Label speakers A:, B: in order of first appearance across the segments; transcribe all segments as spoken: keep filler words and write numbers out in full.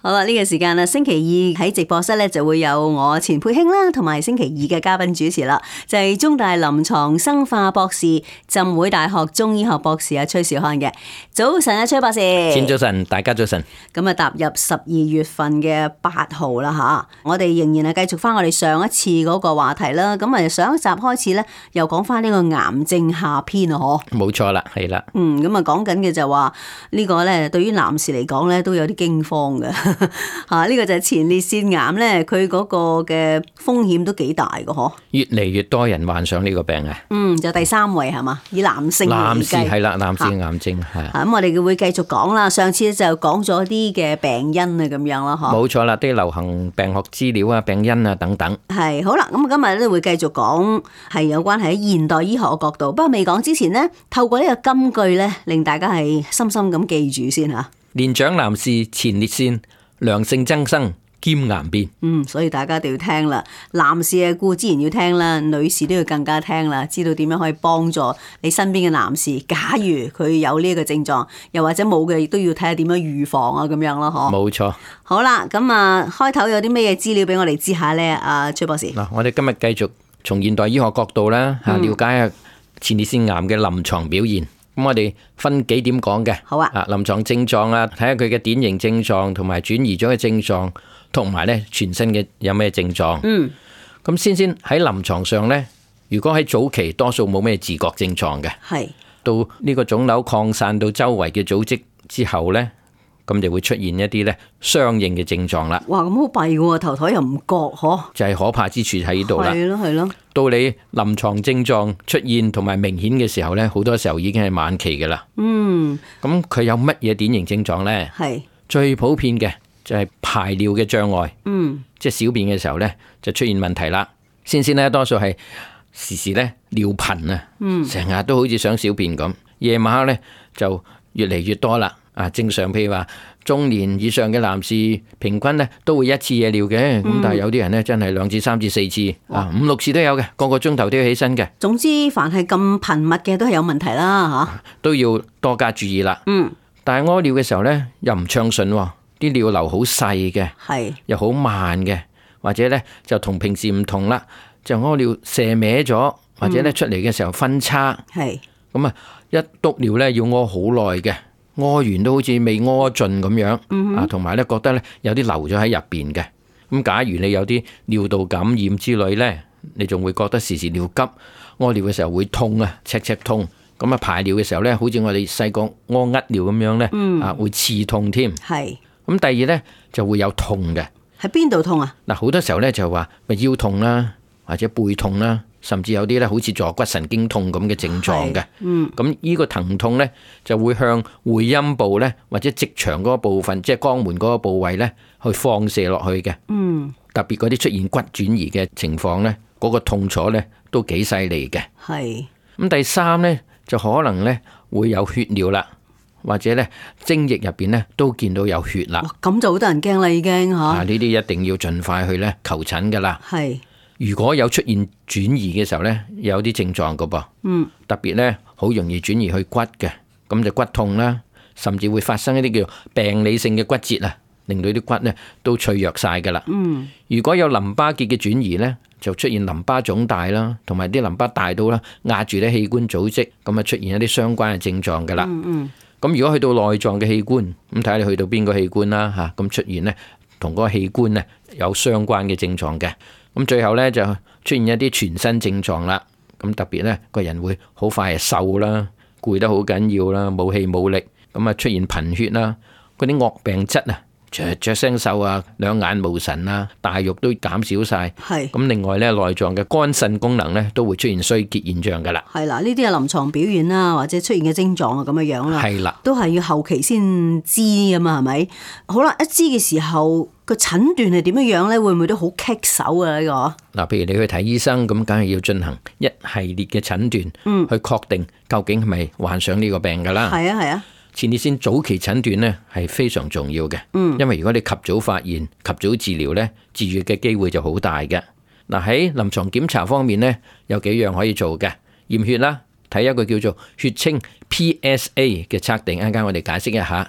A: 好啦，呢、這個時間啦，星期二喺直播室咧就會有我錢佩卿啦，同埋星期二嘅嘉賓主持啦，就係、是、中大臨床生化博士、浸會大學中醫學博士阿崔兆漢嘅。早晨啊，崔博士。
B: 先早晨，大家早晨。
A: 咁啊，踏入十二月份嘅八號啦吓，我哋仍然係繼續翻我哋上一次嗰個話題啦。咁啊，上一集開始咧，又講翻呢個癌症下篇啊，嗬。冇
B: 錯啦，係啦。
A: 嗯，咁啊，講緊嘅就話呢個咧，對於男士嚟講咧，都有啲驚慌嘅。吓，呢個就係前列腺癌咧，佢嗰個嘅風險都幾大嘅嗬。
B: 越嚟越多人患上呢個病啊。
A: 嗯，就第三位係嘛，以男性嚟計。
B: 男士係啦，男士癌症係。
A: 咁我哋會繼續講啦。上次就講咗啲嘅病因啊，咁樣咯，嗬。
B: 冇錯啦，啲流行病學資料啊、病因啊等等。
A: 係好啦，咁今日咧會繼續講係有關係喺現代醫學嘅角度。不過未講之前呢，透過呢個金句咧，令大家係深深咁記住先吓。
B: 年長男士前列腺良性增生兼癌變。
A: 嗯，所以大家一定要聽啦。男士啊，固之然要聽啦，女士都要更加聽啦，知道點樣可以幫助你身邊嘅男士。假如佢有呢個症狀，又或者冇嘅，亦都要睇下點樣預防啊，咁樣咯，嗬。
B: 冇錯。
A: 好啦，咁啊，開頭有啲咩嘢資料俾我哋知下咧？阿崔博士。
B: 嗱，我哋今日繼續從現代醫學角度啦，吓了解下前列腺癌嘅臨床表現。咁我哋分幾點講嘅。
A: 好啊。
B: 啊，臨床症狀啊，睇下佢嘅典型症狀，同埋轉移咗嘅症狀，同埋咧全身嘅有咩症狀。嗯。咁先先喺臨床上咧，如果喺早期多數冇咩自覺症狀嘅，係到呢個腫瘤擴散到周圍嘅組織之後咧，咁就會出現一啲咧相應嘅症狀啦。
A: 哇，咁好弊喎，頭台又唔覺嗬。就
B: 係可怕之處喺呢度啦。
A: 係咯，係咯。到
B: 你臨床症狀出現同埋明顯嘅時候咧，好多時候已經係晚期噶啦。嗯。咁佢有乜嘢典型症狀咧？係最普遍嘅就係排尿嘅障礙。嗯。即係小便嘅時候咧，就出現問題啦。先先咧，多數係時時咧尿頻啊。嗯。成日都好似想小便咁，夜晚黑咧就越嚟越多啦。啊，正常譬如話中年以上嘅男士，平均咧都會一次夜尿嘅，咁、嗯、但係有啲人咧真係兩至三至四次，啊五六次都有嘅，個個鐘頭都要起身嘅。總之，凡係咁頻密嘅都係有問題啦，吓都要多加注意啦。嗯，但係屙尿嘅時候咧又唔暢順，啲尿流好細嘅，係又好慢嘅，或者咧就同平時唔同啦，就屙尿射歪咗，或者咧出嚟嘅時候分叉，係咁啊，一督尿咧要屙好耐嘅。屙完都好似未屙盡咁樣，啊，同埋咧覺得咧有啲留咗喺入邊嘅。咁假如你有啲尿道感染之類咧，你仲會覺得時時尿急，屙尿嘅時候會痛啊，赤赤痛。咁啊排尿嘅時候咧，好似我哋細個屙呃尿咁樣咧，啊會刺痛添。係。咁第二咧就會有痛嘅。喺邊度痛啊？嗱，好多時候咧就話咪腰痛啦，或者背痛啦。甚至有啲咧好似坐骨神經痛咁嘅症狀嘅，咁呢個疼痛咧就會向會陰部咧或者直腸嗰個部分，即係肛門嗰個部位咧去放射落去嘅。嗯，特別嗰啲出現骨轉移嘅情況咧，嗰個痛楚咧都幾犀利嘅。係。咁第三咧就可能咧會有血尿啦，或者咧精液入邊咧都見到有血啦。咁就好多人驚啦，已經吓。啊，呢啲一定要盡快去咧求診噶啦。係。如果有出現轉移嘅時候呢，有啲症狀噶噃，嗯，特別呢，好容易轉移去骨嘅，咁就骨痛啦，甚至會發生一啲叫病理性嘅骨折啊，令到啲骨呢都脆弱晒噶啦。嗯，如果有淋巴結嘅轉移呢，就出現淋巴腫大啦，同埋啲淋巴大到啦壓住啲器官組織，咁啊出現一啲相關嘅症狀噶啦。嗯嗯，咁如果去到內臟嘅器官，咁睇下你去到邊個器官啦吓，咁出現呢，同嗰個器官呢有相關嘅症狀嘅。咁最後咧就出現一啲全身症狀啦，咁特別咧個人會好快係瘦啦，攰得好緊要啦，冇氣冇力，咁啊出現貧血啦，嗰啲惡病質啊，雀雀聲瘦啊，兩眼無神啊，大肉都減少晒，係咁另外咧內臟嘅肝腎功能咧都會出現衰竭現象噶啦。係啦，呢啲係臨床表現啦，或者出現嘅症狀啊咁嘅樣啦。係啦，都係要後期先知啊嘛，係咪？好啦，一知嘅時候。個診斷係點樣樣咧？會唔會都好棘手啊？呢個嗱，譬如你去睇醫生，咁梗係要進行一系列嘅診斷，嗯，去確定究竟係咪患上呢個病噶啦。係啊係啊，前列腺早期診斷咧係非常重要嘅，嗯，因為如果你及早發現、及早治療咧，治愈嘅機會就好大嘅。嗱，喺臨床檢查方面咧，有幾樣可以做嘅，驗血啦，睇一個叫做血清 P S A 嘅測定，一陣間我哋解釋一下。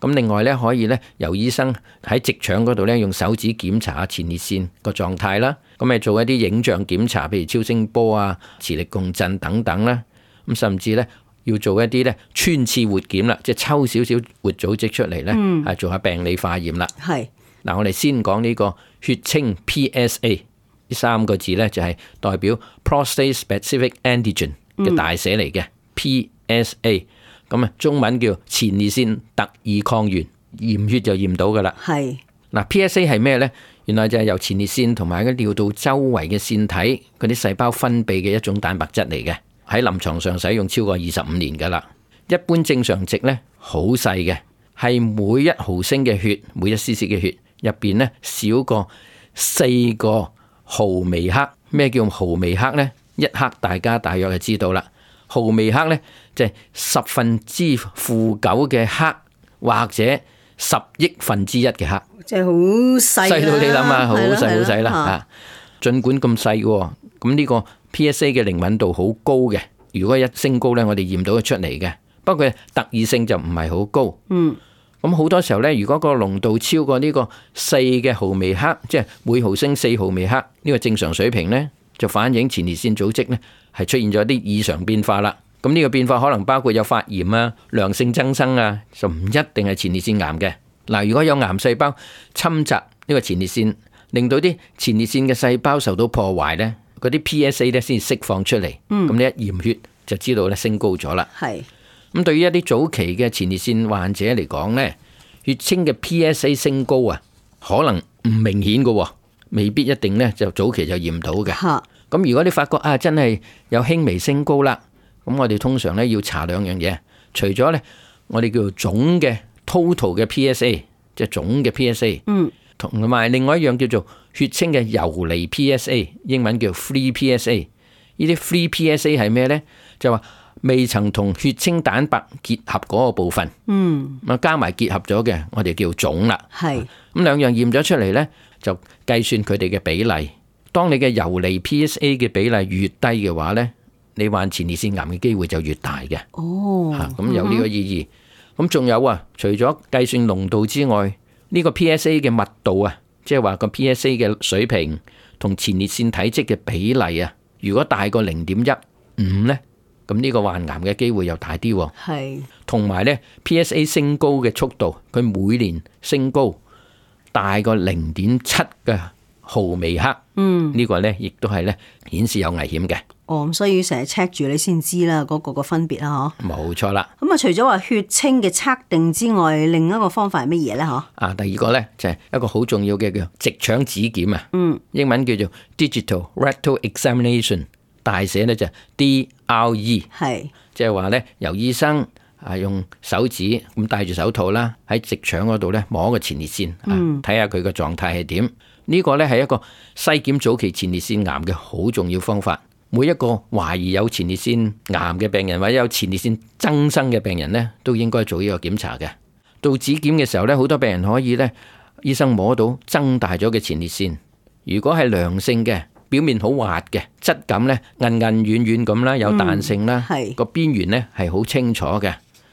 B: 咁另外咧，可以咧由醫生喺直腸嗰度咧用手指檢查下前列腺個狀態啦。咁咪做一啲影像檢查，譬如超聲波啊、磁力共振等等啦。咁甚至咧要做一啲咧穿刺活檢啦，即係抽少少活組織出嚟咧，係、嗯、做下病理化驗啦。係嗱，我哋先講呢個血清 P S A 呢三個字咧，就係代表 prostate specific antigen 嘅大寫嚟嘅、嗯、P S A。咁啊，中文叫前列腺特異抗原，驗血就驗到噶啦。係嗱 ，P S A 係咩呢？原來就係由前列腺同埋個尿道周圍嘅腺體嗰啲細胞分泌嘅一種蛋白質嚟嘅，喺臨床上使用超過二十五年噶啦。一般正常值呢，好細嘅，係每一毫升嘅血，每一 c c 嘅血入邊呢，少過四個毫微克。咩叫毫微克呢？一克大家大約就知道啦。毫微克呢，就係十分之負九嘅克，或者十億分之一嘅克，即係好細，細到你諗下，好細好細啦啊！儘管咁細嘅，咁呢個 P S A 嘅靈敏度好高嘅。如果一升高呢，我哋驗到佢出嚟嘅。不過特異性就唔係好高。嗯，咁好多時候呢，如果個濃度超過呢個四嘅毫微克，即係每毫升四毫微克呢個正常水平呢，就反映前列腺組織呢係出現咗啲異常變化啦。咁呢個變化可能包括有發炎啊、良性增生啊，就唔一定係前列腺癌嘅。嗱，如果有癌細胞侵襲呢個前列腺，令到啲前列腺嘅細胞受到破壞呢，嗰啲 P S A 咧先釋放出嚟。咁、嗯、你一驗血就知道咧升高咗啦。係咁，對於一啲早期嘅前列腺患者嚟講呢，血清嘅 P S A 升高啊，可能唔明顯嘅，未必一定呢就早期就驗到嘅。咁如果你發覺啊，真係有輕微升高啦，咁我哋通常咧要查兩樣嘢，除咗咧我哋叫做總嘅 total 嘅 P S A， 即係總嘅 P S A， 嗯，同埋另外一樣叫做血清嘅游離 P S A， 英文叫 free P S A。呢啲 free P S A 係咩咧？就話未曾同血清蛋白結合嗰個部分，嗯，咁加埋結合咗嘅，我哋叫總啦。係咁兩樣驗咗出嚟咧，就計算佢哋嘅比例。當你嘅游離 P S A 嘅比例越低嘅話呢，你患前列腺癌嘅機會就越大嘅。哦，吓咁有呢個意義。咁仲有啊，除咗計算濃度之外，呢個 P S A 嘅密度啊，即係話個 P S A 嘅水平同前列腺體積嘅比例啊，如果大過零點一五呢，咁呢個患癌嘅機會又大啲。係，同埋呢 P S A 升高嘅速度，佢每年升高大過零點七嘅毫微克，嗯，呢個咧亦都係咧顯示有危險嘅。哦，咁所以成日 check 住你先知啦，嗰個個分別啦，嗬。冇錯啦。咁啊，除咗話血清嘅測定之外，另一個方法係乜嘢咧？嗬。啊，第二個咧就係一個好重要嘅叫直腸指檢啊。嗯。英文叫做 Digital Rectal Examination， 大寫咧就 D R E。係。即係話咧，由醫生啊用手指咁戴住手套啦，喺直腸嗰度咧摸個前列腺，啊睇下佢個狀態係點。呢個咧係一個篩檢早期前列腺癌嘅好重要方法。每一個懷疑有前列腺癌嘅病人或者有前列腺增生嘅病人呢，都應該做呢個檢查嘅。到指檢嘅時候呢，好多病人可以呢，醫生摸到增大咗嘅前列腺。如果係良性嘅，表面好滑嘅，質感呢韌韌軟軟咁啦，有彈性啦，個邊緣呢係好清楚嘅。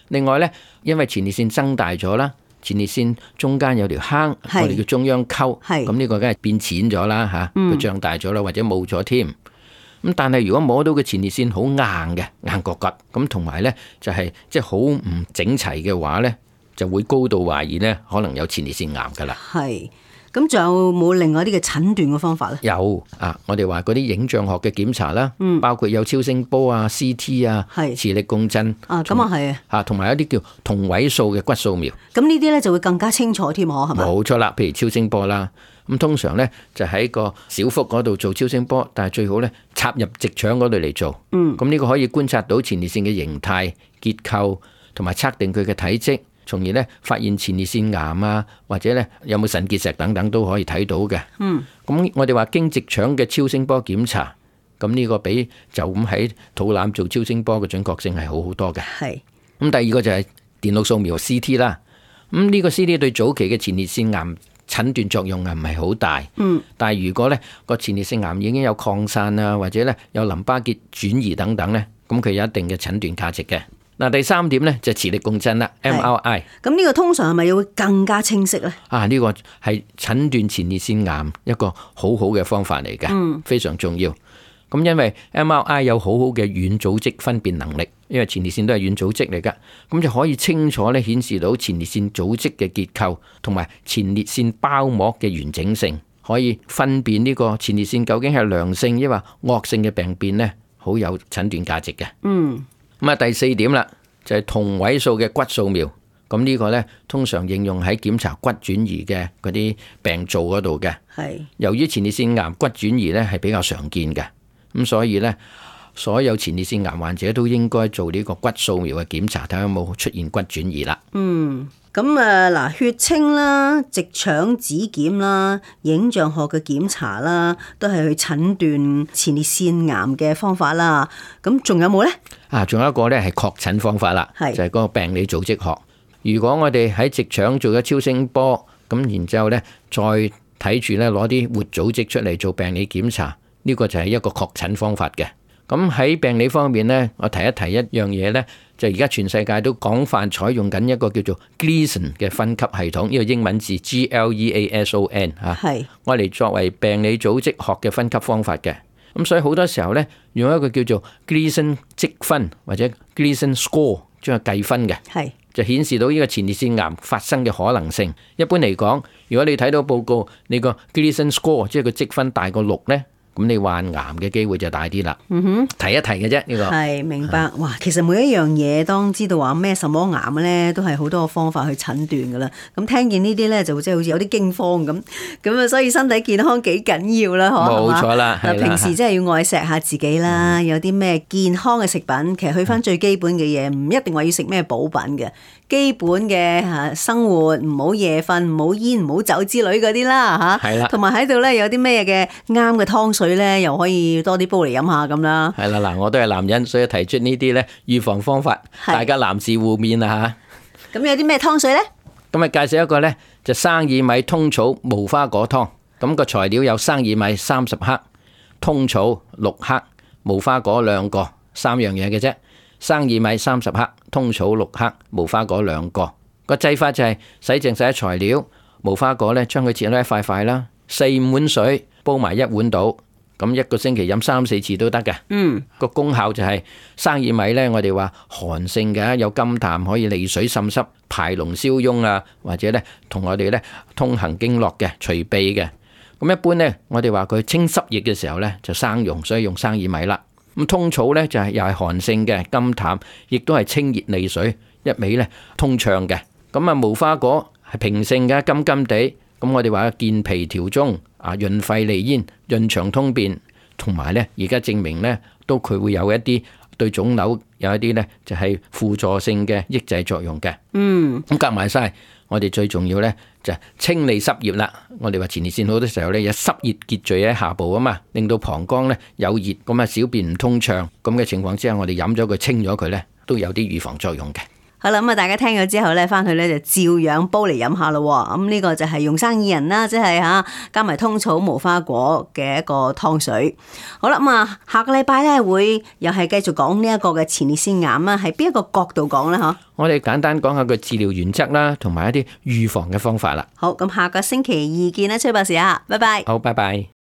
B: 另外呢，因為前列腺增大咗啦。前列腺中間有條坑，我哋叫中央溝，咁呢個梗係變淺咗啦吓，佢脹大咗啦，或者冇咗添。咁但係如果摸到嘅前列腺好硬嘅，硬角角，咁同埋咧就係即係好唔整齊嘅話咧，就會高度懷疑咧可能有前列腺癌噶啦。係。咁仲有冇另外啲嘅診斷嘅方法咧？有啊，我哋話嗰啲影像學嘅檢查啦，嗯、包括有超聲波啊、C T 啊、磁力共振啊，咁啊係啊，同埋一啲叫同位素嘅骨掃描。咁呢啲咧就會更加清楚添，可係咪？冇錯啦，譬如超聲波啦，咁通常咧就喺個小腹嗰度做超聲波，但係最好咧插入直腸嗰度嚟做。嗯，咁呢個可以觀察到前列腺嘅形態、結構，同埋測定佢嘅體積。從而咧發現前列腺癌啊，或者咧有冇腎結石等等都可以睇到嘅。嗯，咁我哋話經直腸嘅超聲波檢查，咁呢個比就咁喺肚腩做超聲波嘅準確性係好好多嘅。係。咁第二個就係電腦掃描 C T 啦。咁呢個 C T 對早期嘅前列腺癌診斷作用係唔係好大？嗯。但係如果咧個前列腺癌已經有擴散啊，或者咧有淋巴結轉移等等咧，咁佢有一定嘅診斷價值嘅。嗱，第三點咧就磁力共振啦 ，M R I。
A: 咁呢個通常係咪要會更加清晰咧？
B: 啊，呢、這個係診斷前列腺癌一個好好嘅方法嚟嘅，嗯、非常重要。咁因為 M R I 有好好嘅軟組織分辨能力，因為前列腺都係軟組織嚟噶，咁就可以清楚咧顯示到前列腺組織嘅結構同埋前列腺包膜嘅完整性，可以分辨呢個前列腺究竟係良性抑或惡性嘅病變咧，好有診斷價值嘅。嗯。咁啊，第四點啦，就係同位素嘅骨掃描。咁呢個呢，通常應用喺檢查骨轉移嘅嗰啲病灶嗰度嘅。係。由於前列腺癌骨轉移呢係比較常見嘅，咁所以呢，所有前列腺癌患者都應該做呢個骨掃描嘅檢查，睇下有冇出現骨轉移啦。嗯。咁啊嗱，血清啦、直腸指檢啦、影像學嘅檢查啦，都係去診斷前列腺癌嘅方法啦。咁仲有冇呢？啊，仲有一個咧係確診方法啦，是就係嗰個病理組織學。如果我哋喺直腸做咗超聲波，咁然之後咧再睇住咧攞啲活組織出嚟做病理檢查，呢個就係一個確診方法嘅。咁喺病理方面咧，我提一提一樣嘢咧。就而家全世界都廣泛採用緊一個叫做 Gleason 嘅分級系統，呢個英文字 G L E A S O N 嚇是，我嚟作為病理組織學嘅分級方法嘅。咁所以好多時候咧，用一個叫做 Gleason 積分或者 Gleason score 將佢計分嘅，是就顯示到呢個前列腺癌發生嘅可能性。一般嚟講，如果你睇到報告，你個 Gleason score 即係個積分大過六咧，咁你患癌嘅機會就大啲啦。嗯哼，提一提嘅啫，呢個係明白。哇，其實每一樣嘢當知道話咩什麼癌咧，都係好多個方法去診斷噶啦。咁聽見呢啲咧，就即係好似有啲驚慌咁。咁啊，所以身體健康幾緊要啦，嗬。冇錯啦，係啦。平時真係要愛錫下自己啦。嗯、有啲咩健康嘅食品，其實去翻最基本嘅嘢，唔一定話要食咩補品嘅。基本嘅嚇生活，唔好夜瞓，唔好煙，唔好酒之類嗰啲啦嚇。係啦。同埋喺度咧，有啲咩嘅啱嘅湯水咧，又可以多啲煲嚟飲下咁啦。係啦，嗱，我都係男人，所以提出呢啲咧預防方法，大家男士互勉啊嚇。咁有啲咩湯水咧？咁啊，介紹一個咧，就生薏米通草無花果湯。咁個材料有生薏米三十克、通草六克、無花果兩個，三樣嘢嘅啫。生薏米三十克，通草六克，無花果兩個。個製法就係洗淨晒材料，無花果咧將佢切開一塊塊啦，四五碗水煲埋一碗到，咁一個星期飲三四次都得嘅。嗯，個功效就係生薏米咧，我哋話寒性嘅，有甘淡，可以利水滲濕、排膿消痈啊，或者咧同我哋咧通行經絡嘅、除痹嘅。咁一般咧，我哋話佢清濕熱嘅時候咧就生用，所以用生薏米啦。咁通草咧就係又係寒性嘅甘淡，亦都係清熱利水，一味咧通暢嘅。咁啊無花果係平性嘅，甘甘地，咁我哋話健脾調中啊，潤肺利咽、潤腸通便，同埋咧而家證明咧都佢會有一啲對腫瘤有一啲咧就係輔助性嘅抑制作用嘅。嗯，咁夾埋晒，我哋最重要咧就係清理濕熱啦。我哋話前列腺好多時候咧有濕熱結聚喺下部啊嘛，令到膀胱咧有熱，咁啊小便唔通暢，咁嘅情況之下，我哋飲咗佢清咗佢咧，都有啲預防作用嘅。好啦，咁啊，大家聽咗之後咧，翻去咧就照樣煲嚟飲下咯。咁呢個就係用生薏仁啦，即係吓加埋通草、無花果嘅一個湯水。好啦，咁啊，下個禮拜咧會又係繼續講呢一個嘅前列腺癌啊，係邊一個角度講咧？嗬，我哋簡單講下個治療原則啦，同埋一啲預防嘅方法啦。好，咁下個星期二見啦，崔博士啊，拜拜。好，拜拜。